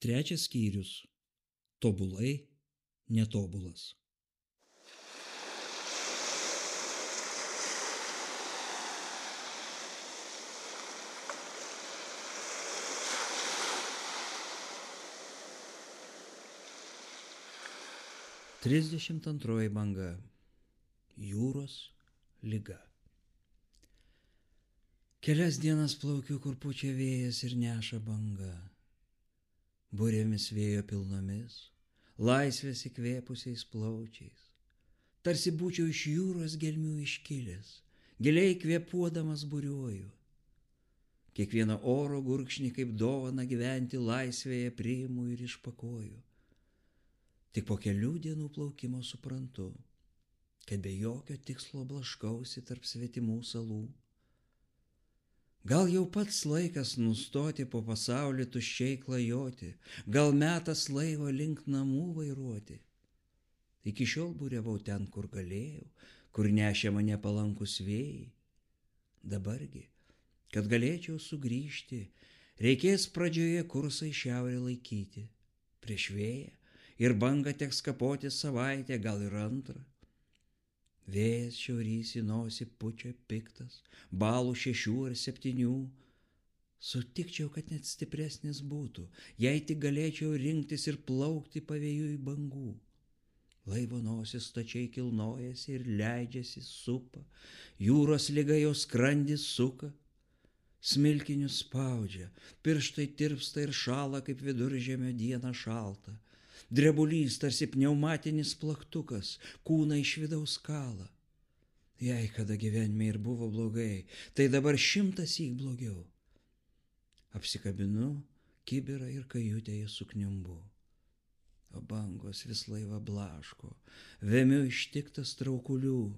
Trečias skyrius. Tobulai netobulas. Trisdešimt antroji banga. Jūros liga. Kelias dienas plaukiu, kur pučia vėjas ir neša banga. Burėmis vėjo pilnomis, laisvės įkvėpusiais plaučiais. Tarsi būčiau iš jūros gelmių iškilęs, giliai kvėpuodamas buriuoju. Kiekvieną oro gurkšnį kaip dovana gyventi laisvėje priimu ir išpakoju. Tik po kelių dienų plaukimo suprantu, kad be jokio tikslo blaškausi tarp svetimų salų. Gal jau pats laikas nustoti po pasaulį tuščiai klajoti, gal metas laivo link namų vairuoti. Iki šiol buriavau ten, kur galėjau, kur nešė mane palankus vėjai. Dabargi, kad galėčiau sugrįžti, reikės pradžioje kursą į šiaurę laikyti. Prieš vėją ir bangą teks kapoti savaitę, gal ir antrą. Vėjas šiaurys į nosį pučia piktas, balų 6 ar 7. Sutikčiau, kad net stipresnis būtų, jei tik galėčiau rinktis ir plaukti pavėjui bangų. Laivo nosis stačiai kilnojasi ir leidžiasi supa, jūros liga jo skrandį suka. Smilkinius spaudžia, pirštai tirpsta ir šala, kaip viduržemio dieną šalta. Drebulys tarsi pneumatinis plaktukas, kūną iš vidaus kala. Jei kada gyvenime ir buvo blogai, tai dabar 100 blogiau. Apsikabinu kibirą ir kajutėje sukniumbu. O bangos vis laivą blaško, vemiu ištiktas traukulių.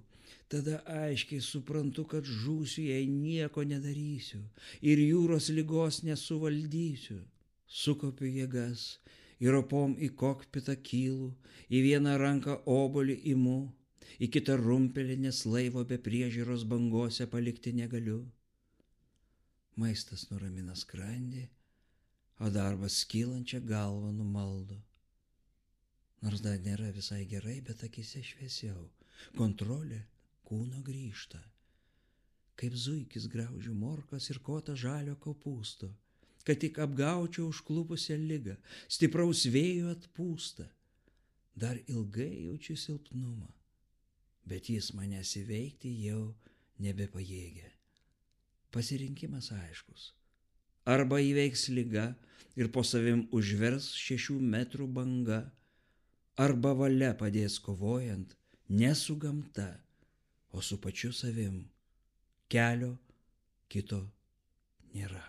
Tada aiškiai suprantu, kad žūsiu, jei nieko nedarysiu ir jūros ligos nesuvaldysiu. Sukaupiu jėgas ir opom į kokpitą kylu, į vieną ranką obuolį imu, į kitą rumpelį, nes laivo be priežiūros bangose palikti negaliu. Maistas nuramina skrandį, o darbas kylančią galvą numaldo. Nors dar nėra visai gerai, bet akise šviesiau, kontrolė kūno grįžta. Kaip zuikis graužiu morkas ir kotą žalio kopūsto, kad tik apgaučiau užklupusią ligą, stipraus vėjo atpūsta. Dar ilgai jaučiu silpnumą, bet jis manęs įveikti jau nebepajėgia. Pasirinkimas aiškus. Arba įveiks liga ir po savim užvers 6 metrų banga, arba valia padės kovojant ne su gamta, o su pačiu savim. Kelio kito nėra.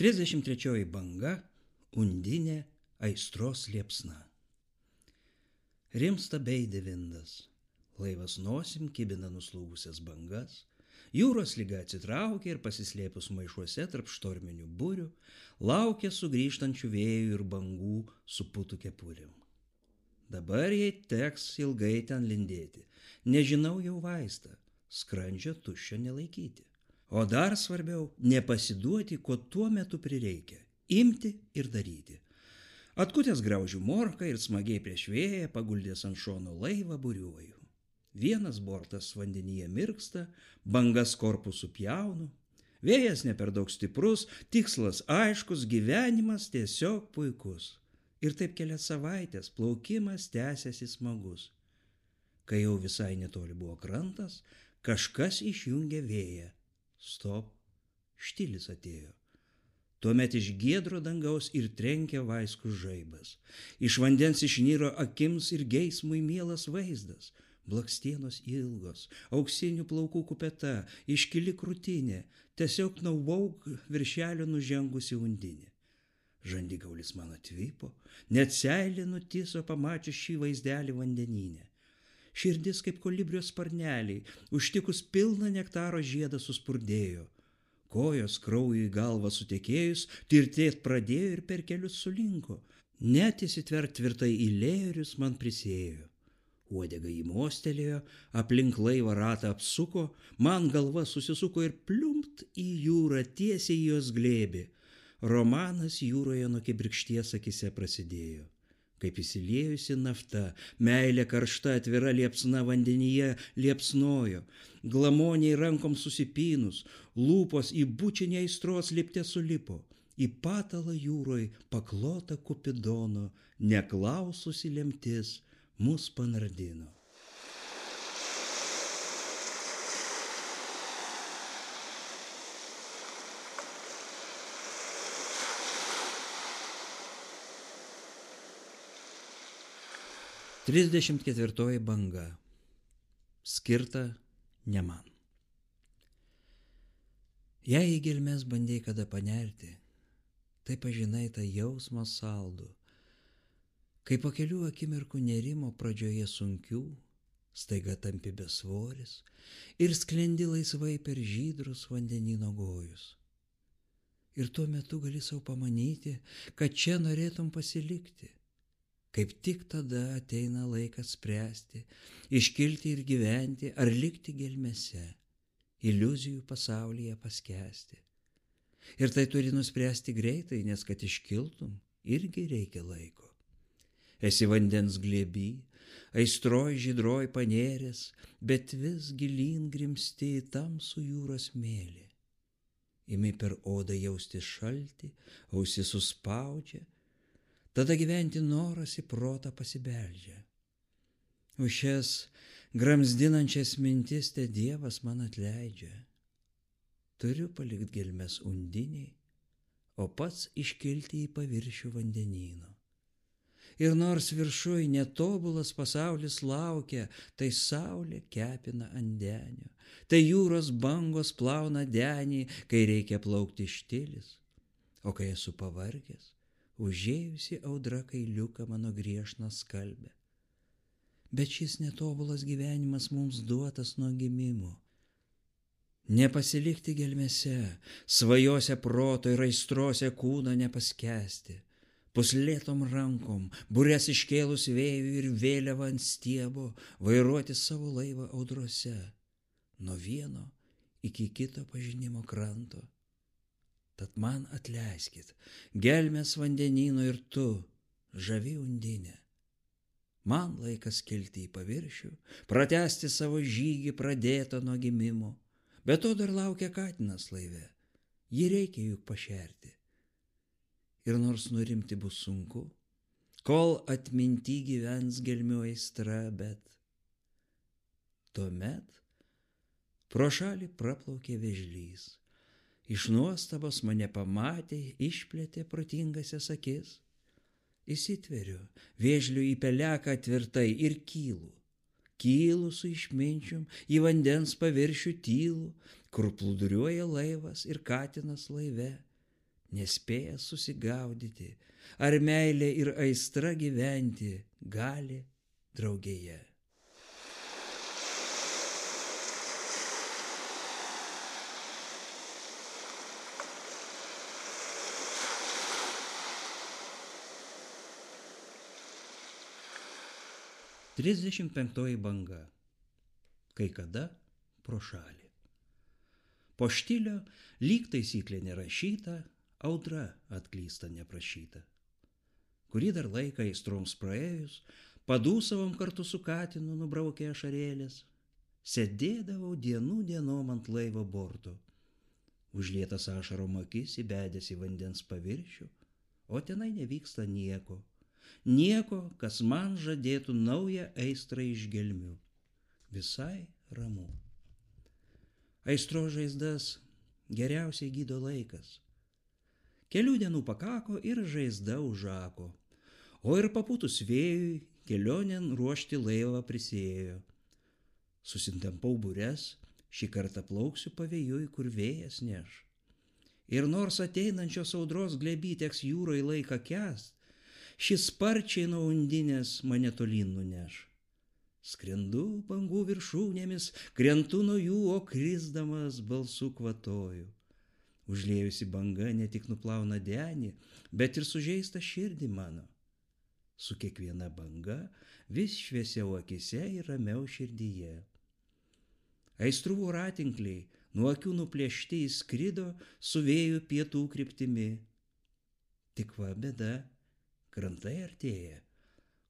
Trisdešimt trečioji banga. Undinė aistros liepsna. Rimsta beidė vindas. Laivas nosim kibina nuslūgusias bangas. Jūros liga atsitraukė ir pasislėpus maišuose tarp štorminių burių, laukia sugrįžtančių vėjų ir bangų su putų kepurėm. Dabar jai teks ilgai ten lindėti. Nežinau jau vaistą, skrandžio tuščio nelaikyti. O dar svarbiau, nepasiduoti, ko tuo metu prireikia. Imti ir daryti. Atkutęs graužiu morką ir smagiai prieš vėją, paguldęs ant šono laivą buriuoju. Vienas bortas vandenyje mirksta, bangas korpusų pjaunu. Vėjas ne per daug stiprus, tikslas aiškus, gyvenimas tiesiog puikus. Ir taip kelias savaitės plaukimas tęsiasi smagus. Kai jau visai netoli buvo krantas, kažkas išjungė vėją. Stop, štilis atėjo. Tuomet iš giedro dangaus ir trenkė vaiskus žaibas. Iš vandens išnyro akims ir geismui mielas vaizdas. Blakstienos ilgos, auksinių plaukų kupeta, iškili krūtinė, tiesiog nauvauk viršelio nužengusi undinė. Žandigaulis man atvipo, net seilė nutiso pamačius šį vaizdelį vandenyne. Širdis kaip kolibrio sparneliai, užtikus pilną nektaro žiedą suspurdėjo. Kojos kraujui galvą sutekėjus, tirtėt pradėjo ir per kelius sulinko. Net įsitvert tvirtai į lėjerius man prisėjo. Uodega įmostelėjo, aplink laivą ratą apsuko, man galva susisuko ir pliumpt į jūrą tiesiai į jos glėbį. Romanas jūroje nuo kibirkšties akise prasidėjo. Kaip įsiliejusi nafta, meilė karšta atvira liepsna vandenyje liepsnojo, glamoniai rankom susipynus, lūpos į bučinį aistros lipte sulipo, į patalą jūroj paklota Kupidono, neklaususi lemtis mus panardino. Trisdešimt ketvirtoji banga. Skirta ne man. Jei į gelmes bandėjai kada panerti, tai pažinai tą jausmą saldų, kai po kelių akimirkų nerimo pradžioje sunkių, staiga tampi besvoris ir sklendi laisvai per žydrus vandenyno gojus. Ir tuo metu gali savo pamanyti, kad čia norėtum pasilikti. Kaip tik tada ateina laikas spręsti, iškilti ir gyventi ar likti gelmėse, iliuzijų pasaulyje paskęsti. Ir tai turi nuspręsti greitai, nes kad iškiltum, irgi reikia laiko. Esi vandens glėby, aistroj žydroj panėrės, bet vis gilyn grimsti į tamsų jūros mėlį. Imi per odą jausti šaltį, ausis suspaudžia, tada gyventi noras į protą pasibeldžia. Už šias gramzdinančias mintis te Dievas man atleidžia. Turiu palikti gelmes undiniai, o pats iškilti į paviršių vandenyno. Ir nors viršuj netobulas pasaulis laukia, tai saulė kepina ant denio, tai jūros bangos plauna denį, kai reikia plaukti štilis, o kai esu pavargęs, užėjusi audra kailiuką mano griežną skalbę. Bet šis netobulas gyvenimas mums duotas nuo gimimo. Nepasilikti gelmėse, svajose proto ir aistrose kūną nepaskesti, puslėtom rankom, bures iškėlus vėjų ir vėliavą ant stiebo, vairuoti savo laivą audrose, nuo vieno iki kito pažinimo kranto. Tad man atleiskit, gelmės vandenyno ir tu, žavi undinė. Man laikas kilti į paviršių, pratęsti savo žygį pradėtą nuo gimimo, bet to dar laukia katinas laive, jį reikia juk pašerti. Ir nors nurimti bus sunku, kol atminty gyvens gelmių aistra, bet tuomet pro šalį praplaukė vėžlys. Iš nuostabos mane pamatė, išplėtė protingasias akis. Įsitveriu vėžlių į peleką tvirtai ir kylu. Kylu su išminčium į vandens paviršių tylų, kur plūduriuoja laivas ir katinas laive, nespėjęs susigaudyti, ar meilė ir aistra gyventi gali draugėje. Trisdešimt penktoji banga. Kai kada pro šalį. Po štilio lyg taisyklė nerašyta, audra atklysta neprašyta. Kurį dar laiką aistroms praėjus, padūsavom kartu su katinu nubraukė ašarėlės, sėdėdavau dienų dienom ant laivo borto, užlietas ašarom akis įbedęs į vandens paviršių, o tenai nevyksta nieko. Nieko, kas man žadėtų naują aistrą iš gelmių. Visai ramu. Aistros žaizdas geriausiai gydo laikas. Kelių dienų pakako ir žaizda užako. O ir papūtus vėjui kelionėn ruošti laivą prisėjo. Susintempau bures, šį kartą plauksiu pavėjui, kur vėjas neš. Ir nors ateinančios audros glėby teks jūroj laiką kęst, šis sparčiai nuo undinės mane tolyn nuneš. Skrendu bangų viršūnėmis, krentu nuo jų, o krisdamas balsu kvatoju. Užliejusi banga ne tik nuplauna denį, bet ir sužeista širdį mano. su kiekviena banga vis šviesiau akise ir ramiau širdyje. Aistrų voratinkliai nuo akių nuplėšti įskrido su vėju pietų kryptimi. Tik va bėda, krantai artėja,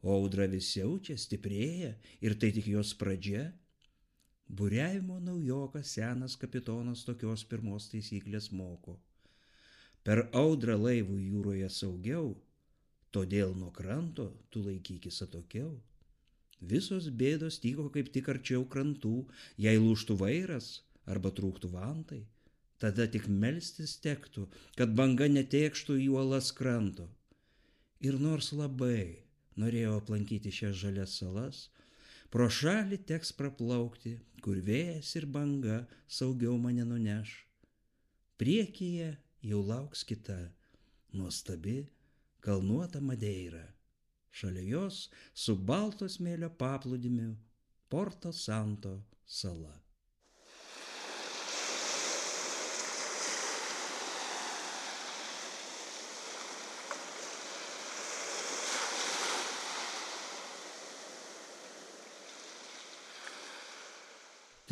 o audra vis siaučia, stiprėja ir tai tik jos pradžia. Buriavimo naujokas senas kapitonas tokios pirmos taisyklės moko. Per audrą laivų jūroje saugiau, todėl nuo kranto tu laikykis atokiau. Visos bėdos tyko kaip tik arčiau krantų, jei lūžtų vairas arba trūktų vantai, tada tik melstis tektų, kad banga netėkštų į uolas kranto. Ir nors labai norėjau aplankyti šias žalias salas, pro šalį teks praplaukti, kur vėjas ir banga saugiau mane nuneš. Priekyje jau lauks kita, nuostabi, kalnuota Madeira. Šalia jos su balto smėlio paplūdimiu Porto Santo sala.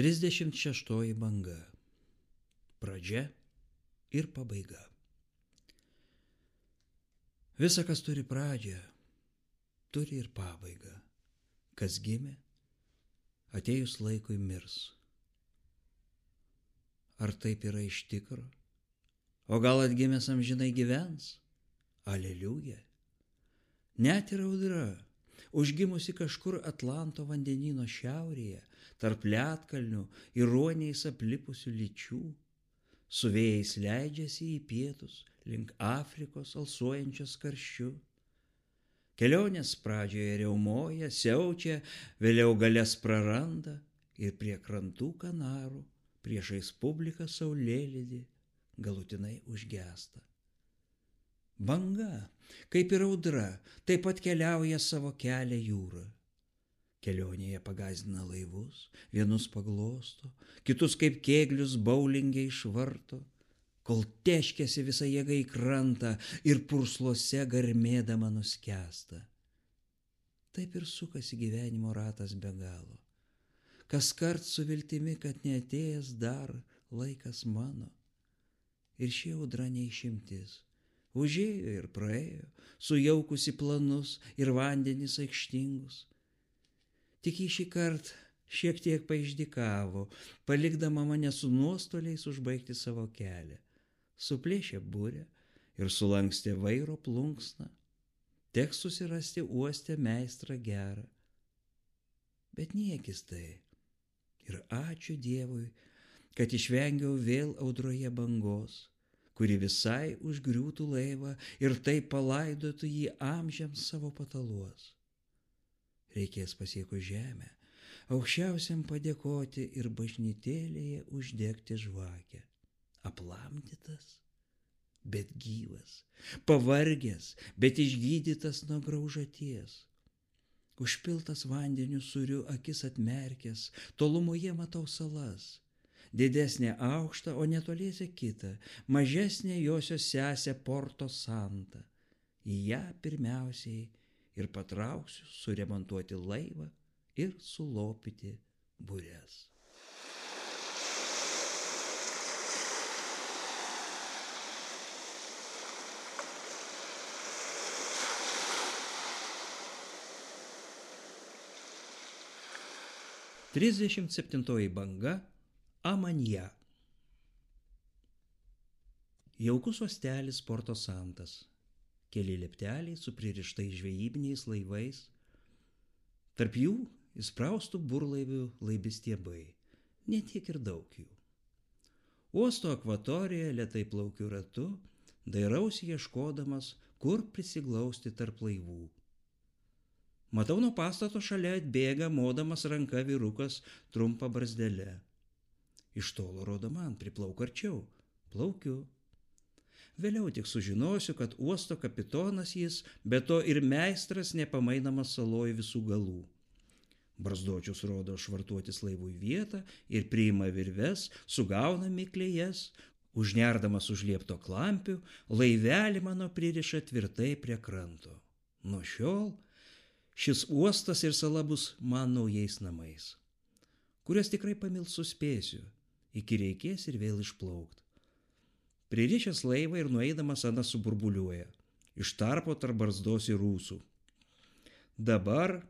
Trisdešimt šeštoji banga. Pradžia ir pabaiga. Visa, kas turi pradžią, turi ir pabaigą. Kas gimė, atėjus laikui mirs. Ar taip yra iš tikro? O gal atgimęs amžinai gyvens? Aleliuja. Net ir audra, užgimusi kažkur Atlanto vandenyno šiaurėje, tarp ledkalnių ir ruoniais aplipusių lyčių, su vėjais leidžiasi į pietus, link Afrikos alsuojančios karščiu. Kelionės pradžioje riaumoja, siaučia, vėliau galias praranda ir prie krantų Kanarų, priešais publiką saulėlydį, galutinai užgęsta. Banga, kaip ir audra, taip pat keliauja savo kelią jūrą. Kelionėje pagąsdina laivus, vienus paglosto, kitus kaip kėglius boulinge išvarto, kol teškėsi visą jėgą į krantą ir purslose garmėdama nuskęsta. Taip ir sukasi gyvenimo ratas be galo. Kaskart su viltimi, kad neatėjęs dar laikas mano. Ir ši audra neišimtis. Užėjo ir praėjo, sujaukusi planus ir vandenis aikštingus. Tik į šį kartą šiek tiek paišdykavo, palikdama mane su nuostoliais užbaigti savo kelią. Suplėšė burę ir sulankstė vairo plunksną. Teks susirasti uoste meistrą gerą. Bet niekis tai. Ir ačiū Dievui, kad išvengiau vėl audroje bangos, kuri visai užgriūtų laivą ir taip palaidotų jį amžiams savo pataluos. Reikės pasiekus žemę, aukščiausiam padėkoti ir bažnytėlėje uždegti žvakę. Aplamdytas, bet gyvas, pavargęs, bet išgydytas nuo graužaties. Užpiltas vandeniu sūriu akis atmerkęs, tolumoje matau salas. Didesnė aukštą, o netoliese kitą, mažesnė josios sesė Porto Santa. Į ją pirmiausiai ir patrauksiu suremontuoti laivą ir sulopyti bures. Trisdešimt septintoji banga. Amanja. Jaukus uostelis Porto Santas. Keli liepteliai su pririštais žvejybiniais laivais. Tarp jų įspraustų burlaivių laibistiebai. Ne tiek ir daug jų. Uosto akvatorijoje lėtai plaukiu ratu, dairausi ieškodamas, kur prisiglausti tarp laivų. Matau nuo pastato šalia atbėga, modamas ranka vyrukas trumpa barzdelė. Iš tolo rodo man, priplauk arčiau. Plaukiu. Vėliau tik sužinosiu, kad uosto kapitonas jis, be to ir meistras nepamainamas saloj visų galų. Barzdočius rodo švartuotis laivui vietą ir priima virves, sugauna miklėjas, užnerdamas už liepto klampių, laivelį mano pririša tvirtai prie kranto. Nuo šiol Šis uostas ir sala bus man naujais namais, kurias tikrai pamilt suspėsiu, iki reikės ir vėl išplaukt. Pririšęs laivą ir nueidamas Anas suburbuliuoja, iš tarpo tarp barzdos ir ūsų. Dabar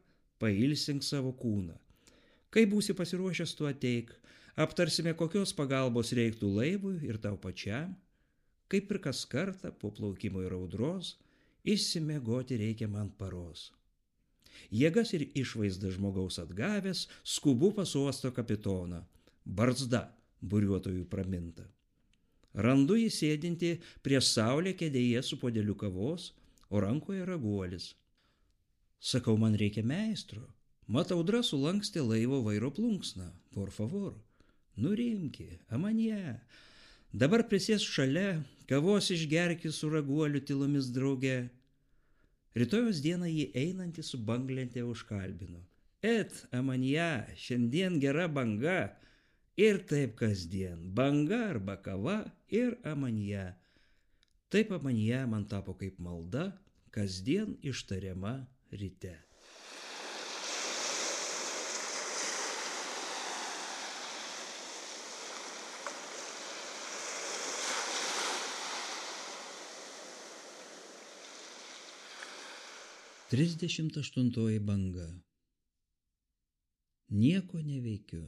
pailsink savo kūną. Kai būsi pasiruošęs, tu ateik, aptarsime, kokios pagalbos reiktų laivui ir tau pačiam, kaip ir kas kartą po plaukimo ir audros, išsimiegoti reikia man paros. Jėgas ir išvaizdą žmogaus atgavęs, skubu pas uosto kapitoną, barzda buriuotojų praminta. Randu jį sėdinti prieš saulę kėdėje su puodeliu kavos, o rankoje raguolis. Sakau, man reikia meistro. Mat audra sulankstė laivo vairo plunksną. Por favor, nurimki, amanie. Dabar prisės šalia, kavos išgerki su raguoliu tylomis drauge. Rytojos dieną jį einantį su banglente užkalbino. Et, amanie, šiandien gera banga. Ir taip kasdien, banga arba kava ir amanie. Taip amanie man tapo kaip malda, kasdien ištariama ryte. Trisdešimt aštuntoji banga. Nieko neveikiu.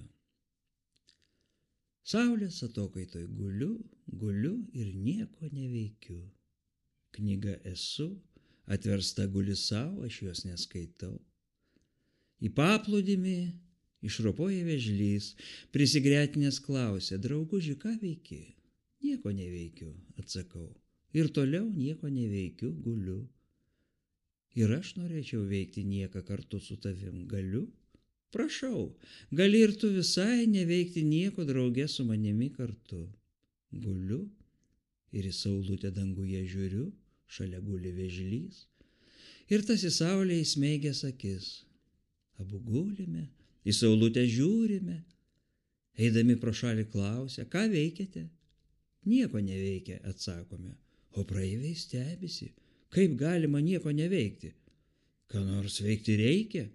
Saulės atokaitoj guliu ir nieko neveikiu. Knyga esu, atversta guli savo, aš jos neskaitau. Į paplūdimį išropoja vėžlys, prisigretinęs klausia, drauguži, ką veiki? Nieko neveikiu, atsakau. Ir toliau nieko neveikiu, guliu. Ir aš norėčiau veikti nieką kartu su tavim, galiu? Prašau, gali ir tu visai neveikti nieko drauge su manimi kartu. Guliu ir į saulutę danguje žiūriu, šalia guli vėžlys. Ir tas į saulę įsmeigęs akis. Abu gulime, į saulutę žiūrime. Eidami pro šalį klausia, ką veikiate? Nieko neveikia, atsakome. O praeiviai stebisi, kaip galima nieko neveikti. Ką nors veikti reikia?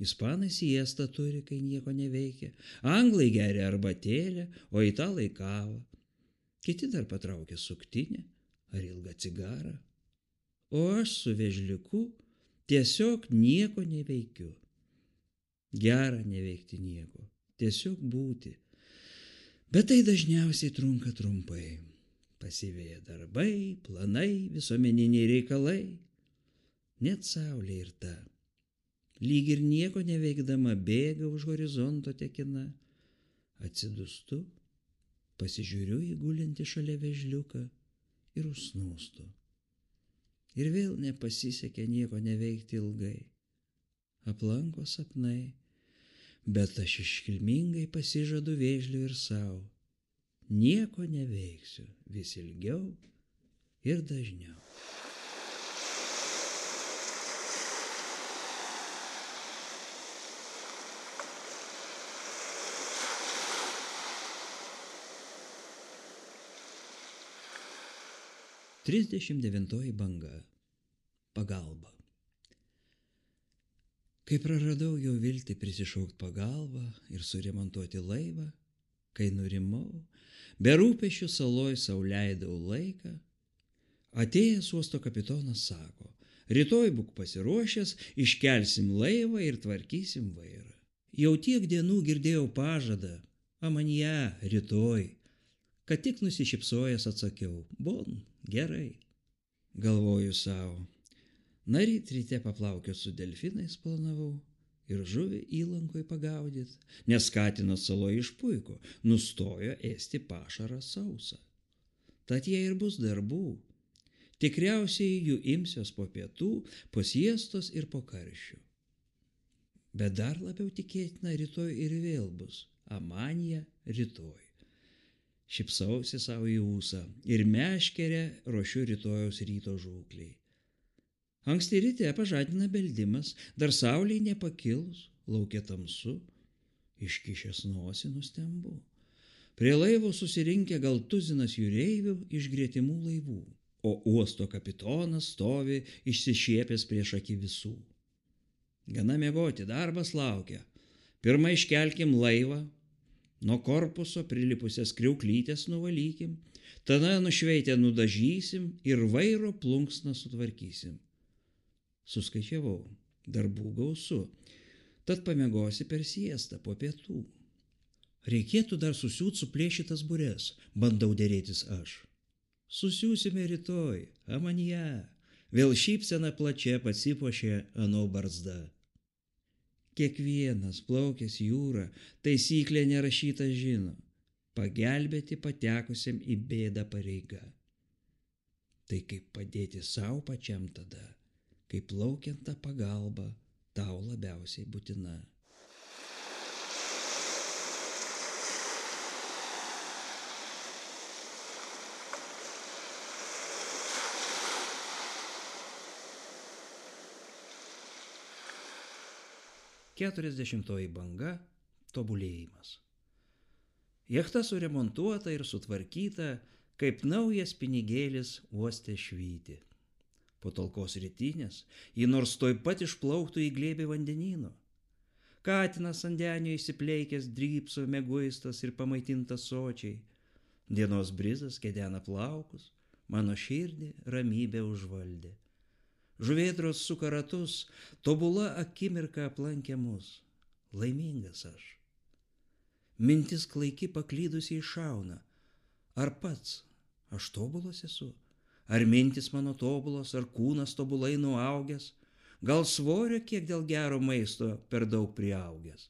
Ispanai siestą turi, kai nieko neveikia. Anglai geria arbatėlę, o italai kavą. Kiti dar patraukia suktinę ar ilgą cigarą. O aš su vėžliuku tiesiog nieko neveikiu. Gera neveikti nieko, tiesiog būti. Bet tai dažniausiai trunka trumpai. Pasiveja darbai, planai, visuomeniniai reikalai. Net saulė ir ta. Lyg ir nieko neveikdama bėga už horizonto tekina. Atsidūstu, pasižiūriu į gulintį šalia vėžliuką ir užsnūstu. Ir vėl nepasisekė nieko neveikti ilgai. Aplanko sapnai, bet aš iškilmingai pasižadu vėžliui ir savo. Nieko neveiksiu vis ilgiau ir dažniau. Trisdešimt devintoji banga. Pagalba. Kai praradau jau viltį prisišaukt pagalbą ir suremontuoti laivą, kai nurimau, be rūpesčių saloj sau leidau laiką, atėjęs uosto kapitonas sako, rytoj būk pasiruošęs, iškelsim laivą ir tvarkysim vairą. Jau tiek dienų girdėjau pažadą, amanie, rytoj. Kad tik nusišypsojęs atsakiau, bon, gerai. Galvoju savo, ryte paplaukiu su delfinais planavau ir žuvį įlankoj pagaudyt, nes katinas saloj išpuiko, nustojo ėsti pašarą sausą. Tad jei ir bus darbų, tikriausiai jų imsiuos po pietų, po siestos ir po karščių. Bet dar labiau tikėtina rytoj ir vėl bus, amanija rytoj. Šypsausi savo į ūsą ir meškerę ruošiu rytojaus ryto žūkliai. Anksti ryte pažadina beldimas, dar saulei nepakilus, lauke tamsu, iškišęs nosį nustembu. Prie laivo susirinkę gal tuzinas jūreivių iš gretimų laivų, o uosto kapitonas stovi išsišiepęs prieš akį visų. Gana miegoti, darbas laukia. Pirma iškelkim laivą, nuo korpuso prilipusias kriauklytės nuvalykim, tada nušveitę nudažysim ir vairo plunksną sutvarkysim. Suskaičiavau, darbų gausu, tad pamiegosi per siestą po pietų. Reikėtų dar susiūt suplėšytas bures, bandau dėrėtis aš. Susiūsime rytoj, amanie. Vėl šypsena plačia pasipuošė ano barzda. Kiekvienas plaukęs jūrą taisyklė nerašyta žino. Pagelbėti patekusiam į bėdą pareiga. Tai kaip padėti savo pačiam tada, kai plaukiant tą pagalbą tau labiausiai būtina. Keturiasdešimtoji banga – tobulėjimas. Jachta suremontuota ir sutvarkyta, kaip naujas pinigėlis uoste švyti. Po talkos rytinės ji nors toj pat išplauktų į glėbį vandenyno. Katinas ant denio įsipleikęs drypso mieguistas ir pamaitintas sočiai. Dienos brizas kedena plaukus, mano širdį ramybė užvaldė. Žuvėdros suka ratus, tobula akimirka aplankė mus. Laimingas aš. Mintis klaiki paklydusiai šauna. Ar pats aš tobulas esu? Ar mintis mano tobulos, ar kūnas tobulai nuaugęs? Gal svorio kiek dėl gero maisto per daug priaugęs?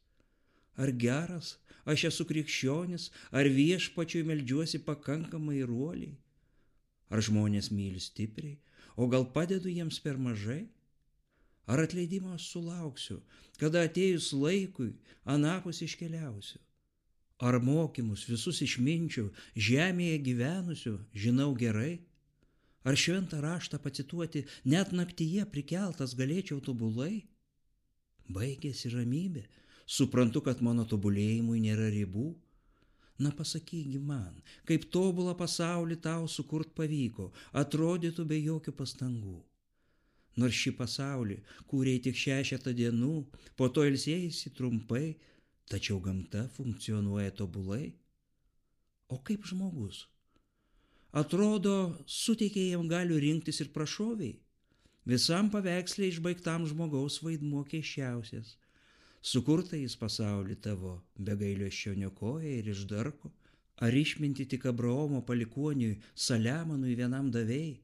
Ar geras aš esu krikščionis, ar viešpačiui meldžiuosi pakankamai ir uoliai? Ar žmonės myli stipriai, o gal padedu jiems per mažai? Ar atleidimo aš sulauksiu, kada atėjus laikui anapus iškeliausiu? Ar mokymus visus išminčių žemėje gyvenusių žinau gerai? Ar šventą raštą pacituoti net naktyje prikeltas galėčiau tobulai? Baigėsi ramybė, suprantu, kad mano tobulėjimui nėra ribų. Na pasakygi man, kaip tobulą pasaulį tau sukurt pavyko, atrodytų be jokių pastangų. Nors šį pasaulį kūrei tik 6 dienų, po to ilsėjaisi trumpai, tačiau gamta funkcionuoja tobulai. O kaip žmogus? Atrodo, suteikė jam galių rinktis ir prašoviai. Visam paveiksle išbaigtam žmogaus vaidmuo keisčiausias. Sukurta jis pasaulį tavo, be gailesčio niokoja ir išdarko. Ar išminti tik Abraomo palikuoniui Saliamonui vienam davėjai?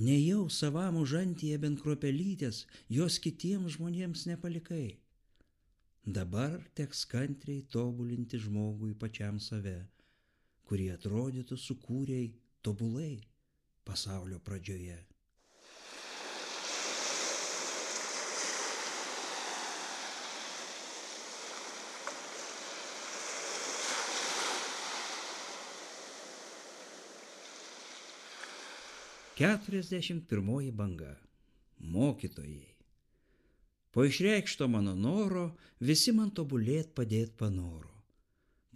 Nejau savam užantyje bent kruopelytės, jos kitiems žmonėms nepalikai. Dabar teks kantriai tobulinti žmogui pačiam save, kurį atrodytų sukūrei tobulai pasaulio pradžioje. Keturiasdešimt pirmoji banga. Mokytojai. Po išreikšto mano noro visi man tobulėt padėt panoro.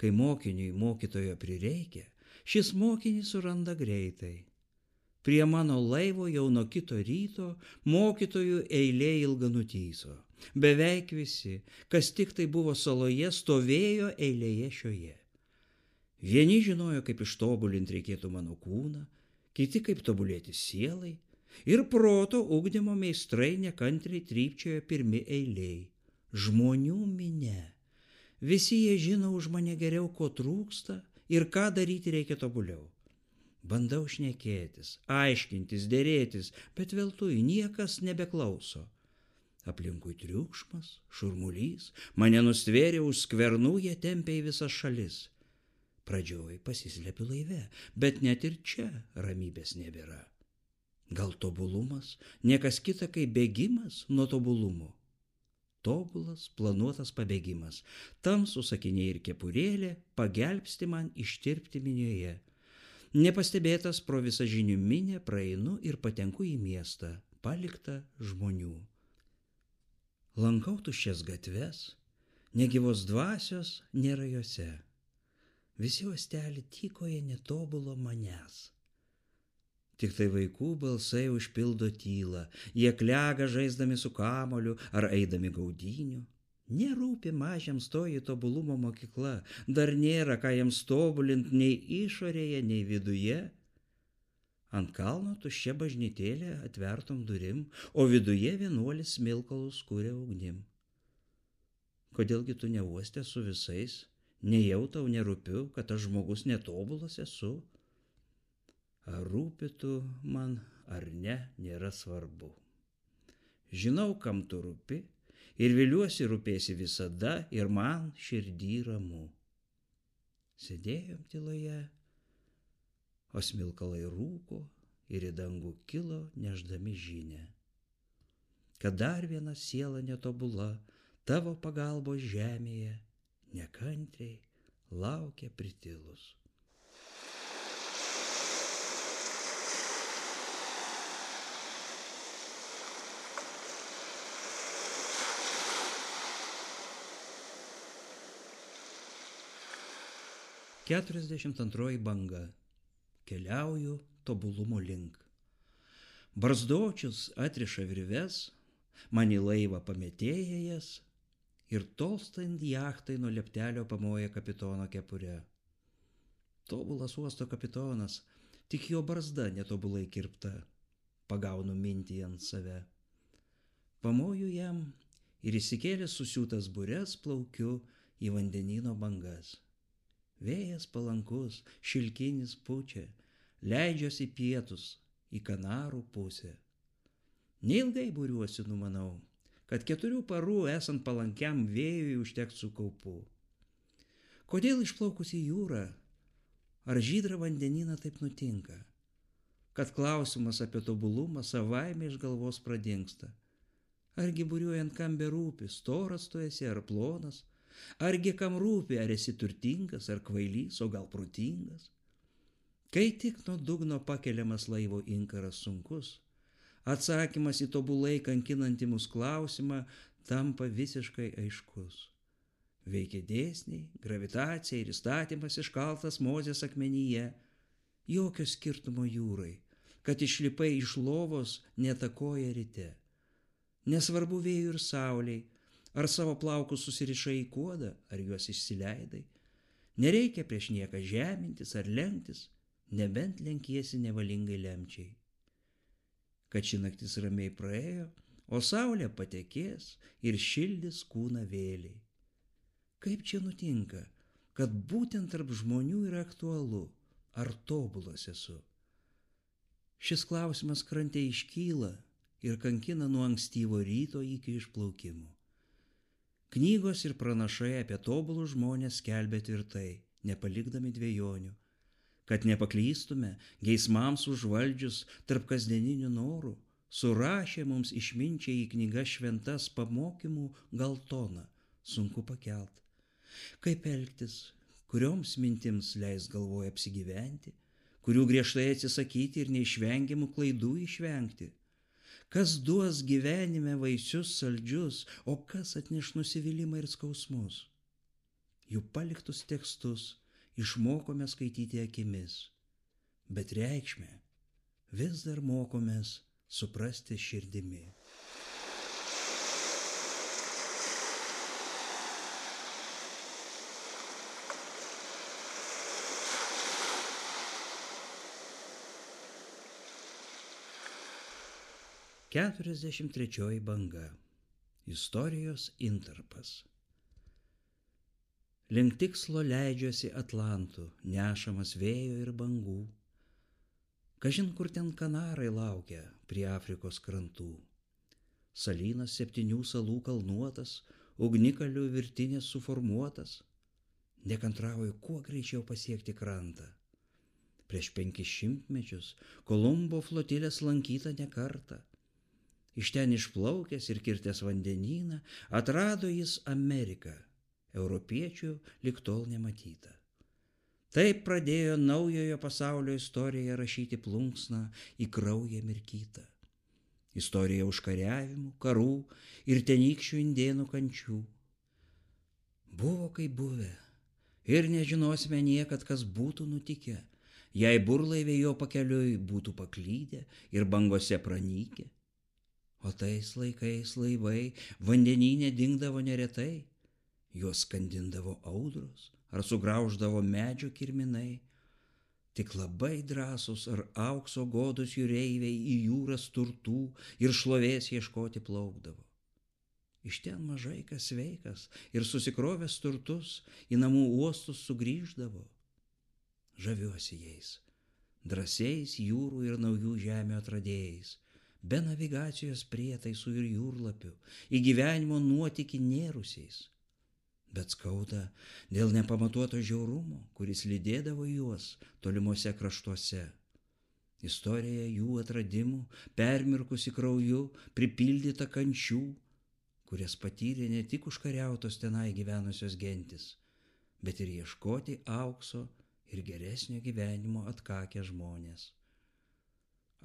Kai mokiniui mokytojo prireikia, šis mokinys suranda greitai. Prie mano laivo jau nuo kito ryto mokytojų eilė ilga nutyso. Beveik visi, kas tik tai buvo saloje, stovėjo eilėje šioje. Vieni žinojo, kaip ištobulinti reikėtų mano kūną, kiti kaip tobulėti sielai, ir proto ugdymo meistrai nekantriai trypčiojo pirmi eiliai. Žmonių minia. Visi jie žino už mane geriau, ko trūksta ir ką daryti reikia tobuliau. Bandau šnekėtis, aiškintis, dėrėtis, bet veltui niekas nebeklauso. Aplinkui triukšmas, šurmulys, mane nustvėrė už skvernų, jie tempė į visas šalis. Pradžioj pasislepiu laive, bet net ir čia ramybės nebėra. Gal tobulumas niekas kita kaip bėgimas nuo tobulumo? Tobulas, planuotas pabėgimas, tamsūs akiniai ir kepurėlė pagelbsti man ištirpti minioje. Nepastebėtas pro visą žinių minę praeinu ir patenku į miestą, paliktą žmonių. Lankau tuščias gatves, negyvos dvasios nėra jose. Visi uostelį tykoja netobulo manęs. Tik tai vaikų balsai užpildo tylą, jie klega žaisdami su kamoliu ar eidami gaudynių. Nerūpi mažiams toji tobulumo mokykla, dar nėra ką jiems tobulint nei išorėje, nei viduje. Ant kalno tuščia bažnytėlė atvertom durim, o viduje vienuolis smilkalus kuria ugnim. Kodėlgi tu neuostė su visais, nejau tau nerūpiu, kad aš žmogus netobulas esu? Ar rūpi tu man ar ne, nėra svarbu. Žinau, kam tu rūpi ir viliuosi rūpėsi visada ir man širdį ramu. Sėdėjom tyloje, o smilkalai rūko ir į dangų kilo nešdami žinią, kad dar viena siela netobula tavo pagalbos žemėje nekantriai laukia pritilus. Keturiasdešimt antroji banga. Keliauju tobulumo link. Barzdočius atriša virves, man į laivą pametėja jas ir tolstant jachtai nuo leptelio pamoja kapitono kepure. Tobulas uosto kapitonas, tik jo barzda netobulai kirpta, pagaunu mintį ant save. Pamoju jam ir įsikėlęs susiūtas bures plaukiu į vandenyno bangas. Vėjas palankus, šilkinis pučia, leidžiuosi pietus į Kanarų pusę. Neilgai būriuosi, numanau, kad 4 parų esant palankiam vėjui užteks su kaupu. Kodėl išplaukus į jūrą ar žydrą vandenyną taip nutinka, kad klausimas apie tobulumą savaime iš galvos pradingsta? Argi būriuojant kam berūpi, storas tu esi ar plonas? Argi kam rūpi, ar esi turtingas, ar kvailys, o gal protingas? Kai tik nuo dugno pakeliamas laivo inkaras sunkus, atsakymas į tobulai kankinantį mus klausimą tampa visiškai aiškus. Veikia dėsniai, gravitacija ir įstatymas iškaltas Mozės akmenyje. Jokio skirtumo jūrai, kad išlipai iš lovos netakoja ryte. Nesvarbu vėjui ir saulei, ar savo plaukus susirišai į kuodą, ar juos išsileidai. Nereikia prieš nieką žemintis ar lenktis, nebent lenkiesi nevalingai lemčiai. Kad ši naktis ramiai praėjo, o saulė patekės ir šildys kūną vėliai. Kaip čia nutinka, kad būtent tarp žmonių yra aktualu, ar tobulas esu? Šis klausimas krante iškyla ir kankina nuo ankstyvo ryto iki išplaukimo. Knygos ir pranašai apie tobulus žmonės skelbia tvirtai, nepalikdami dvejonių, kad nepaklystume geismams užvaldžius tarp kasdieninių norų, surašė mums išminčiai į knygas šventas pamokymų gal toną, sunku pakelt. Kaip elgtis, kurioms mintims leis galvoje apsigyventi, kurių griežtai atsisakyti ir neišvengiamų klaidų išvengti? Kas duos gyvenime vaisius saldžius, o kas atneš nusivylimą ir skausmus? Jų paliktus tekstus išmokome skaityti akimis, bet reikšmę vis dar mokomės suprasti širdimi. Keturiasdešimt trečioji banga. Istorijos intarpas. Link tikslo leidžiuosi Atlantu, nešamas vėjo ir bangų. Kažin kur ten Kanarai laukia prie Afrikos krantų. Salynas 7 salų kalnuotas, ugnikalių virtinės suformuotas. Nekantrauju kuo greičiau pasiekti krantą. Prieš 500 mečius Kolumbo flotilės lankyta ne kartą. Iš ten išplaukęs ir kirtęs vandenyną, atrado jis Ameriką, europiečių lig tol nematyta. Taip pradėjo naujojo pasaulio istoriją rašyti plunksną į kraują mirkytą. Istorija užkariavimų, karų ir tenykščių indėnų kančių. Buvo kaip buvę ir nežinosime niekad, kas būtų nutikę, jei burlaiviai jo pakeliui būtų paklydę ir bangose pranykę. O tais laikais laivai vandenyne dingdavo neretai, juos skandindavo audros ar sugrauždavo medžio kirminai. Tik labai drąsus ar aukso godus jūreiviai į jūras turtų ir šlovės ieškoti plaukdavo. Iš ten mažai kas sveikas ir susikrovęs turtus į namų uostus sugrįždavo. Žaviuosi jais, drąsiais jūrų ir naujų žemių atradėjais, be navigacijos prietaisų ir jūrlapių, į gyvenimo nuotykį nėrusiais. Bet skauda dėl nepamatuoto žiaurumo, kuris lydėdavo juos tolimuose kraštuose. Istorija jų atradimų, permirkusi krauju, pripildyta kančių, kurias patyrė ne tik užkariautos tenai gyvenusios gentis, bet ir ieškoti aukso ir geresnio gyvenimo atkakę žmonės.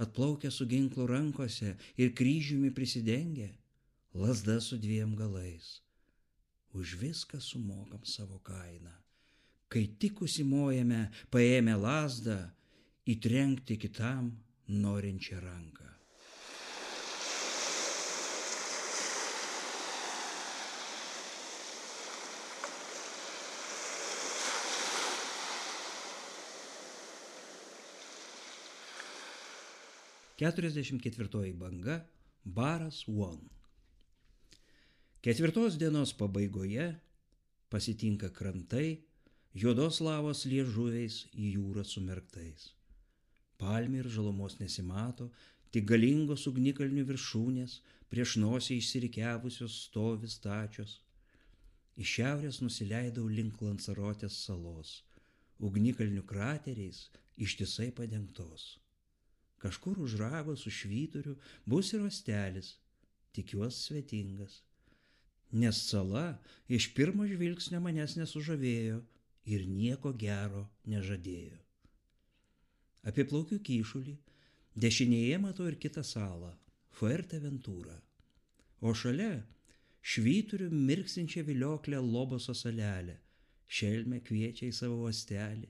Atplaukę su ginklu rankose ir kryžiumi prisidengę, lazda su 2 galais. Už viską sumokam savo kainą, kai tik užsimojame paėmę lazdą įtrenkti kitam norinčią ranką. Keturiasdešimt 4 banga Baras One. 4 dienos pabaigoje pasitinka krantai, juodos lavos liežuviais į jūrą sumerktais. Palmių ir žalumos nesimato, tik galingos ugnikalnių viršūnės prieš nosį išsirikiavusios stovi stačios. Iš šiaurės nusileidau link Lansarotės salos, ugnikalnių krateriais ištisai padengtos. Kažkur už rago su švyturiu bus ir uostelis, tikiuosi svetingas. Nes sala iš pirmo žvilgsnio manęs nesužavėjo ir nieko gero nežadėjo. Apiplaukiu kyšulį, dešinėje matau ir kitą salą, Fuerteventurą. O šalia švyturiu mirksinčią vilioklę Loboso salelę, šelmę kviečia į savo uostelį.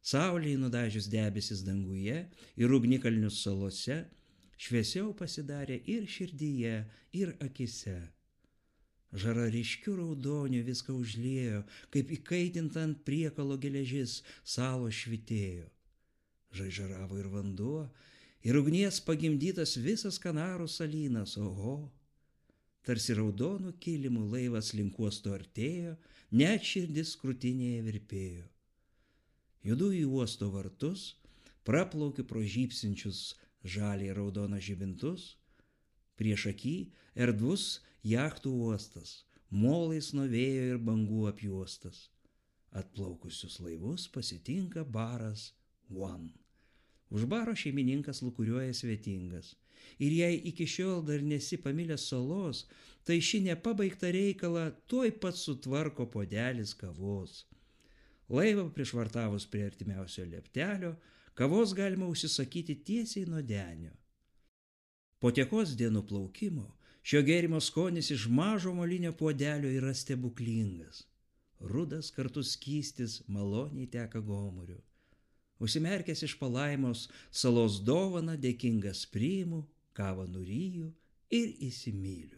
Saulei nudažius debesis danguje ir ugnikalnius salose, šviesiau pasidarė ir širdyje, ir akise. Žara ryškių raudonių viską užliejo, kaip įkaitinta ant priekalo geležis salos švitėjo. Žaižaravo ir vanduo, ir ugnies pagimdytas visas Kanarų salynas, oho. Tarsi raudonų kilimų laivas link uosto artėjo, net širdis krūtinėje virpėjo. Judu į uosto vartus, praplaukiu pro žybsinčius žaliai raudoną žibintus, prieš akį erdvus jachtų uostas, molais nuo vėjo ir bangų apjuostas. Atplaukusius laivus pasitinka baras One. Už baro šeimininkas lūkuriuoja svetingas. Ir jei iki šiol dar nesi pamilęs salos, tai ši nepabaigtą reikalą tuoj pat sutvarko puodelis kavos. Laivą prišvartavus prie artimiausio lieptelio, kavos galima užsisakyti tiesiai nuo denio. Po tiekos dienų plaukimo šio gėrimo skonis iš mažo molinio puodelio yra stebuklingas. Rudas kartu skystis maloniai teka gomuriu. Užsimerkęs iš palaimos salos dovaną dėkingas priimu, kavą nuryju ir įsimyliu.